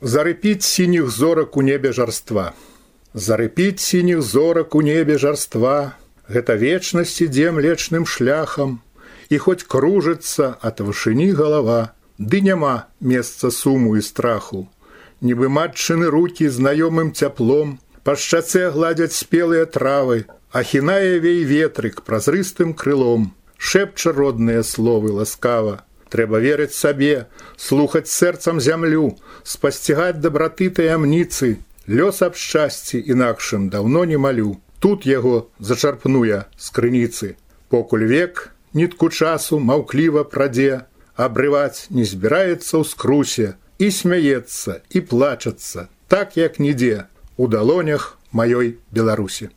Зарыпіць сініх зорак у небе жарства. Зарыпіць сініх зорак у небе жарства. Гэта вечнасць ідзе млечным шляхам. І хоць кружыцца ад вышыні галава, ды няма месца суму і страху. Нібы матчыны рукі знаёмым цяплом па шчацэ гладзяць спелыя травы, ахінае вей ветрык празрыстым крылом, шэпча родныя словы ласкава. Трэба верыць сабе, слухаць сэрцам зямлю, спасцігаць дабраты таямніцы. Лёс аб шчасці інакшым даўно не малю. Тут яго зачарпну я з крыніцы. Покуль век нітку часу маўкліва прадзе, абрываць не збіраецца ў скрусе, і смяецца, і плачацца, так як нідзе, у далонях маёй Беларусі.